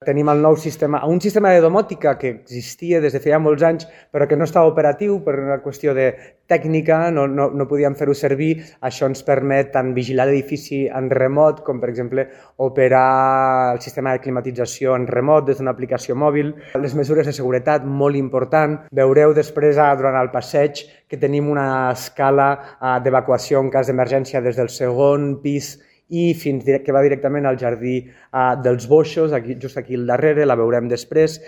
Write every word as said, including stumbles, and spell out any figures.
Tenim el nou sistema, un sistema de domòtica que existia des de feia molts anys, però que no estava operatiu per una qüestió de tècnica, no, no, no podíem fer-ho servir. Això ens permet tant vigilar l'edifici en remot, com per exemple operar el sistema de climatització en remot des d'una aplicació mòbil. Les mesures de seguretat, molt important. Veureu després, durant el passeig, que tenim una escala d'evacuació en cas d'emergència des del segon pis i fins que va directament al jardí dels boixos, aquí, just aquí al darrere, la veurem després.